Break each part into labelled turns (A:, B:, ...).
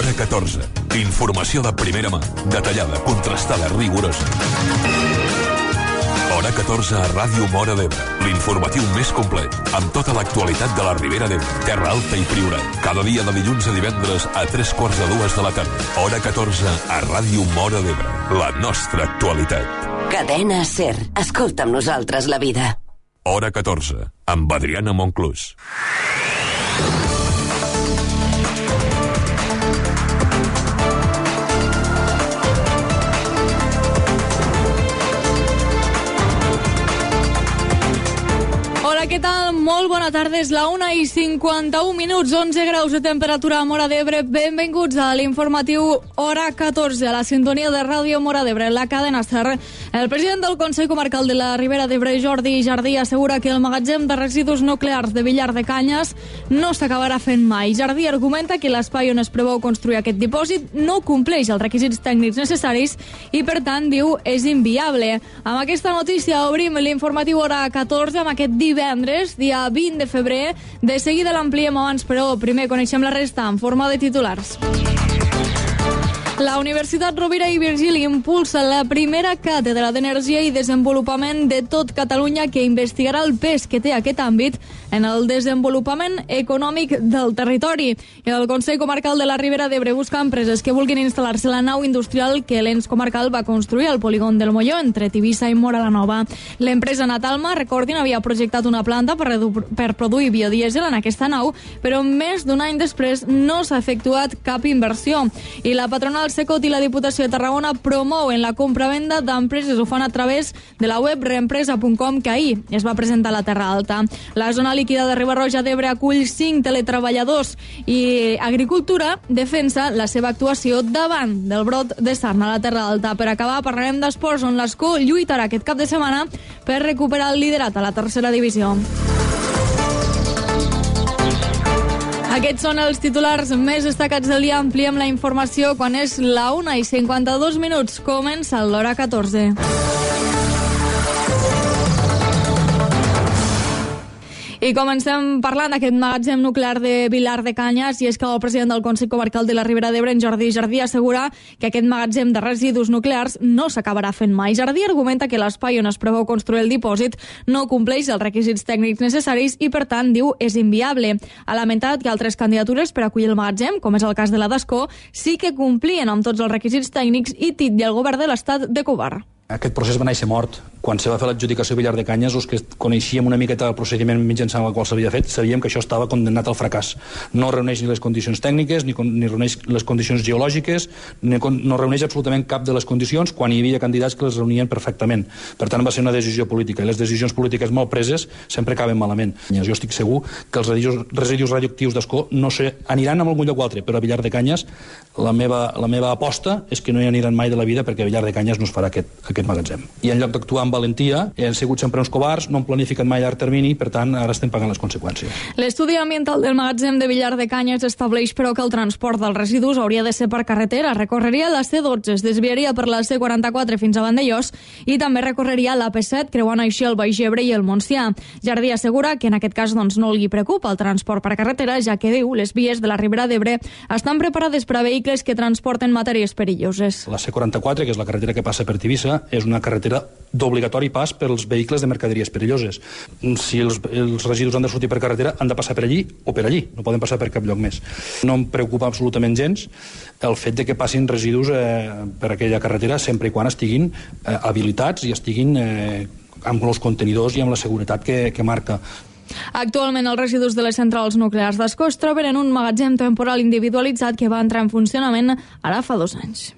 A: Hora 14. Informació de primera mà, detallada, contrastada, rigorosa. Hora 14 a Ràdio Móra d'Ebre. L'informatiu més complet, amb tota l'actualitat de la Ribera d'Ebre, Terra Alta i Priorat. Cada dia de dilluns a divendres a 3:45 de la tarda. Hora 14 a Ràdio Móra d'Ebre. La nostra actualitat.
B: Cadena SER. Escolta amb nosaltres la vida.
A: Hora 14, amb Adriana Monclús.
C: Hola, què tal? Molt bona tarda, és la 1:51, 11 graus de temperatura a Móra d'Ebre. Benvinguts a l'informatiu Hora 14, a la sintonia de Ràdio Móra d'Ebre, la cadena SER. El president del Consell Comarcal de la Ribera d'Ebre, Jordi Jardí, assegura que el magatzem de residus nuclears de Villar de Canyes no s'acabarà fent mai. Jardí argumenta que l'espai on es preveu construir aquest dipòsit no compleix els requisits tècnics necessaris i, per tant, diu, és inviable. Amb aquesta notícia obrim l'informatiu Hora 14 amb aquest divendres, dia 20 de febrer. De seguida l'ampliem abans, però primer coneixem la resta en forma de titulars. La Universitat Rovira i Virgili impulsa la primera càtedra d'Energia i Desenvolupament de tot Catalunya que investigarà el pes que té aquest àmbit en el desenvolupament econòmic del territori. El Consell Comarcal de la Ribera d'Ebre busca empreses que vulguin instal·lar-se a la nau industrial que l'ens comarcal va construir al polígon del Molló, entre Tivissa i Móra la Nova. L'empresa Natalma, recordin, havia projectat una planta per produir biodiesel en aquesta nau, però més d'un any després no s'ha efectuat cap inversió. I la patronal Secot i la Diputació de Tarragona promouen la compra-venda d'empreses. Ho fan a través de la web reempresa.com, que ahir es va presentar a la Terra Alta. La zona líquida de Riba-roja d'Ebre acull 5 teletreballadors i Agricultura defensa la seva actuació davant del brot de sarna a la Terra Alta. Per acabar, parlarem d'esports, on l'Escó lluitarà aquest cap de setmana per recuperar el liderat a la tercera divisió. Aquests són els titulars més destacats del dia. Ampliem la informació quan és la 1:52. Comença l'Hora 14. I comencem parlant d'aquest magatzem nuclear de Villar de Canyes, i és que el president del Consell Comarcal de la Ribera d'Ebre, en Jordi Jardí, assegura que aquest magatzem de residus nuclears no s'acabarà fent mai. Jardí argumenta que l'espai on es preveu construir el dipòsit no compleix els requisits tècnics necessaris i, per tant, diu, és inviable. Ha lamentat que altres candidatures per acollir el magatzem, com és el cas de la d'Escó, sí que complien amb tots els requisits tècnics i titlla el govern de l'Estat de covard.
D: Aquest procés va néixer mort. Quan se va fer l'adjudicació a Villar de Canyes, els que coneixíem una miqueta el procediment mitjançant el qual s'havia fet, sabíem que això estava condemnat al fracàs. No reuneix ni les condicions tècniques, ni reuneix les condicions geològiques, no reuneix absolutament cap de les condicions, quan hi havia candidats que les reunien perfectament. Per tant, va ser una decisió política, i les decisions polítiques mal preses sempre acaben malament. Jo estic segur que els residus radioactius d'Escó no aniran a algun lloc o altre, però a Villar de Canyes la meva aposta és que no hi aniran mai de la vida, perquè a Villar de Canyes no es farà aquest magatzem. I en lloc d'actuar amb valentia, han sigut sempre uns covards, no han planificat mai a llarg termini, per tant, ara estem pagant les conseqüències.
C: L'estudi ambiental del magatzem de Villar de Canyes estableix, però, que el transport dels residus hauria de ser per carretera. Recorreria la C12, es desviaria per la C44 fins a Vandellós i també recorreria la P7, creuant així el Baix Ebre i el Montsià. Jardí assegura que en aquest cas no li preocupa el transport per carretera, ja que, diu, les vies de la Ribera d'Ebre estan preparades per a vehicles que transporten matèries perilloses.
D: La C44, que és la carretera que passa per Tivissa, és una carretera d'obligatori pas per als vehicles de mercaderies perilloses. Si els residus han de sortir per carretera, han de passar per allí o per allí, no poden passar per cap lloc més. No em preocupa absolutament gens el fet de que passin residus per aquella carretera, sempre i quan estiguin habilitats i estiguin amb els contenidors i amb la seguretat que marca.
C: Actualment, els residus de les centrals nuclears d'Escó es troben en un magatzem temporal individualitzat que va entrar en funcionament ara fa 2 anys.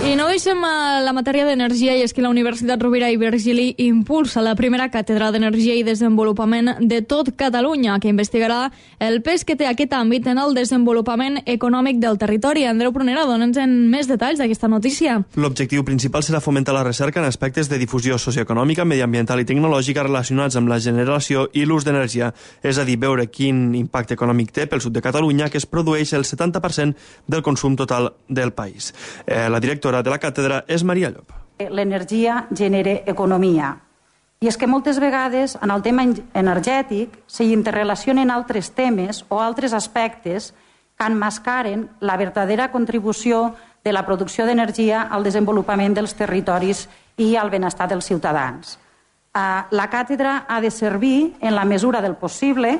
C: I no deixem la matèria d'energia, i és que la Universitat Rovira i Virgili impulsa la primera càtedra d'Energia i Desenvolupament de tot Catalunya, que investigarà el pes que té aquest àmbit en el desenvolupament econòmic del territori. Andreu Prunera, dona'ns més detalls d'aquesta notícia.
E: L'objectiu principal serà fomentar la recerca en aspectes de difusió socioeconòmica, mediambiental i tecnològica relacionats amb la generació i l'ús d'energia, és a dir, veure quin impacte econòmic té pel sud de Catalunya, que es produeix el 70% del consum total del país. La directora de la càtedra és Maria Llop.
F: L'energia genera economia I és que moltes vegades en el tema energètic s'hi interrelacionen altres temes o altres aspectes que emmascaren la verdadera contribució de la producció d'energia al desenvolupament dels territoris i al benestar dels ciutadans. La càtedra ha de servir, en la mesura del possible,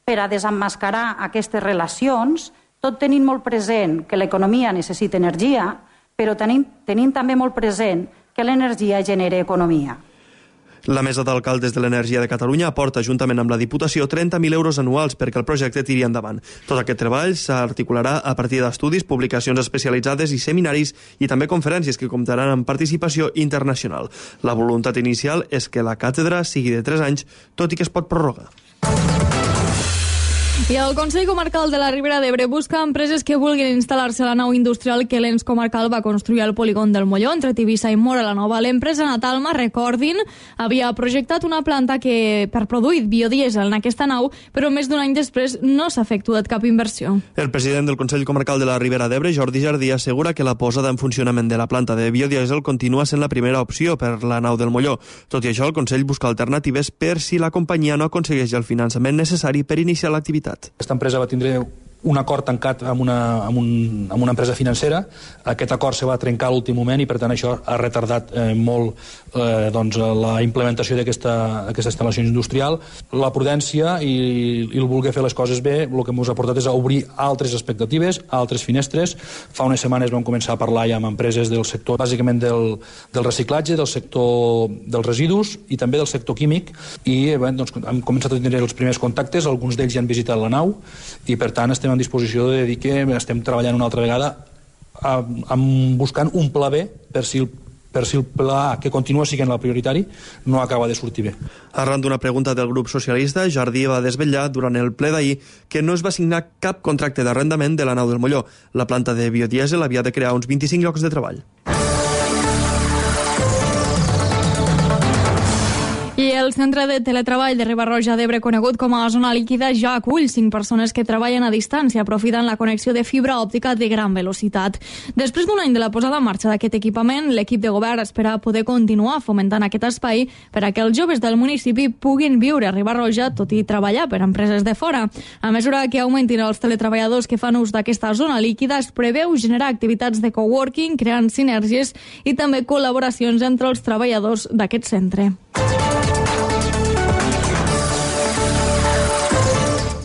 F: per a desemmascarar aquestes relacions, tot tenint molt present que l'economia necessita energia, però tenint també molt present que l'energia genera economia.
E: La Mesa d'Alcaldes de l'Energia de Catalunya aporta, juntament amb la Diputació, 30.000 euros anuals perquè el projecte tiri endavant. Tot aquest treball s'articularà a partir d'estudis, publicacions especialitzades i seminaris i també conferències que comptaran amb participació internacional. La voluntat inicial és que la càtedra sigui de 3 anys, tot i que es pot prorrogar.
C: I el Consell Comarcal de la Ribera d'Ebre busca empreses que vulguin instal·lar-se a la nau industrial que l'ens comarcal va construir al polígon del Molló, entre Tivissa i Móra la Nova. L'empresa Natalma, recordin, havia projectat una planta que per produir biodiesel en aquesta nau, però més d'un any després no s'ha efectuat cap inversió.
E: El president del Consell Comarcal de la Ribera d'Ebre, Jordi Jardí, assegura que la posada en funcionament de la planta de biodiesel continua sent la primera opció per la nau del Molló. Tot i això, el Consell busca alternatives per si la companyia no aconsegueix el finançament necessari per iniciar l'activitat.
D: Aquesta empresa va tindre un acord tancat amb una empresa financera. Aquest acord se va trencar a l'últim moment i, per tant, això ha retardat molt la implementació d'aquesta instal·lació industrial. La prudència i el voler fer les coses bé el que ens ha portat és a obrir altres expectatives, altres finestres. Fa unes setmanes vam començar a parlar ja amb empreses del sector, bàsicament del reciclatge, del sector dels residus i també del sector químic, i hem començat a tenir els primers contactes, alguns d'ells ja han visitat la nau i, per tant, estem en disposició de dir que estem treballant una altra vegada buscant un pla B per si el pla que continua sent el prioritari no acaba de sortir bé.
E: Arran d'una pregunta del grup socialista, Jardí va desvetllar durant el ple d'ahir que no es va signar cap contracte d'arrendament de la nau del Molló. La planta de biodiesel havia de crear uns 25 llocs de treball.
C: I el Centre de Teletreball de Riba-roja d'Ebre, conegut com a zona líquida, ja acull 5 persones que treballen a distància aprofitant la connexió de fibra òptica de gran velocitat. Després d'un any de la posada en marxa d'aquest equipament, l'equip de govern espera poder continuar fomentant aquest espai per a que els joves del municipi puguin viure a Riba-roja, tot i treballar per empreses de fora. A mesura que augmentin els teletreballadors que fan ús d'aquesta zona líquida, es preveu generar activitats de coworking, creant sinergies i també col·laboracions entre els treballadors d'aquest centre.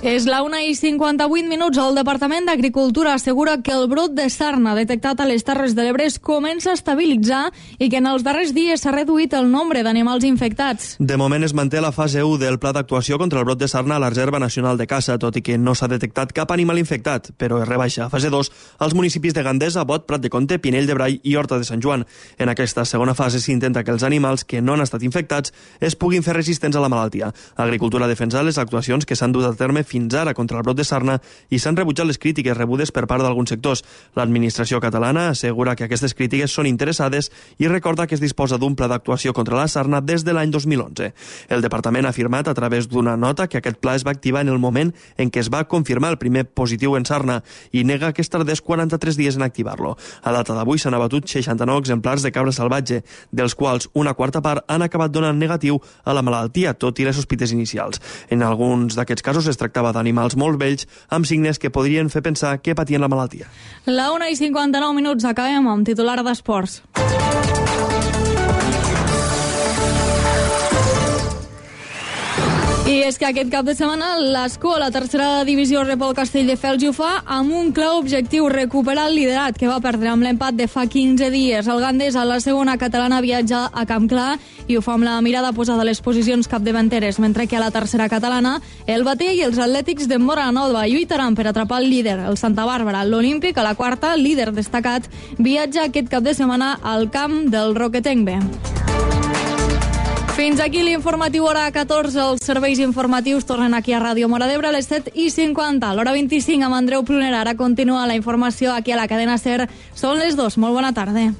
C: És la 1:58. El Departament d'Agricultura assegura que el brot de sarna detectat a les Terres de l'Ebre es comença a estabilitzar i que en els darrers dies s'ha reduït el nombre d'animals infectats.
E: De moment es manté la fase 1 del pla d'actuació contra el brot de sarna a la Reserva Nacional de Caça, tot i que no s'ha detectat cap animal infectat, però es rebaixa a fase 2 als municipis de Gandesa, Bot, Prat de Comte, Pinell de Brai i Horta de Sant Joan. En aquesta segona fase s'intenta que els animals que no han estat infectats es puguin fer resistents a la malaltia. Agricultura ha defensat les actuacions que s'han dut a terme fins ara contra el brot de sarna i s'han rebutjat les crítiques rebudes per part d'alguns sectors. L'administració catalana assegura que aquestes crítiques són interessades i recorda que es disposa d'un pla d'actuació contra la sarna des de l'any 2011. El departament ha afirmat a través d'una nota que aquest pla es va activar en el moment en què es va confirmar el primer positiu en sarna i nega que es tardés 43 dies en activar-lo. A data d'avui s'han abatut 69 exemplars de cabra salvatge, dels quals una quarta part han acabat donant negatiu a la malaltia, tot i les sospites inicials. En alguns d'aquests casos es tractava d'animals molt vells amb signes que podrien fer pensar que patien la malaltia.
C: La 1:59. Acabem amb titular d'esports. I és que aquest cap de setmana l'Escó a la tercera divisió rep el Castelldefels i ho fa amb un clar objectiu, recuperar el liderat que va perdre amb l'empat de fa 15 dies. El Gandés a la segona catalana viatja a Camp Clar i ho fa amb la mirada posada a les posicions capdavanteres, mentre que a la tercera catalana el Batea i els Atlètics de Móra la Nova lluitaran per atrapar el líder, el Santa Bàrbara. L'Olímpic, a la quarta, líder destacat, viatja aquest cap de setmana al camp del Roquetenc B. Fins aquí l'informatiu hora 14. Els serveis informatius tornen aquí a Ràdio Móra d'Ebre a les 7:50. A l'hora 25 amb Andreu Prunera. Ara continua la informació aquí a la cadena SER. Són les 2. Molt bona tarda.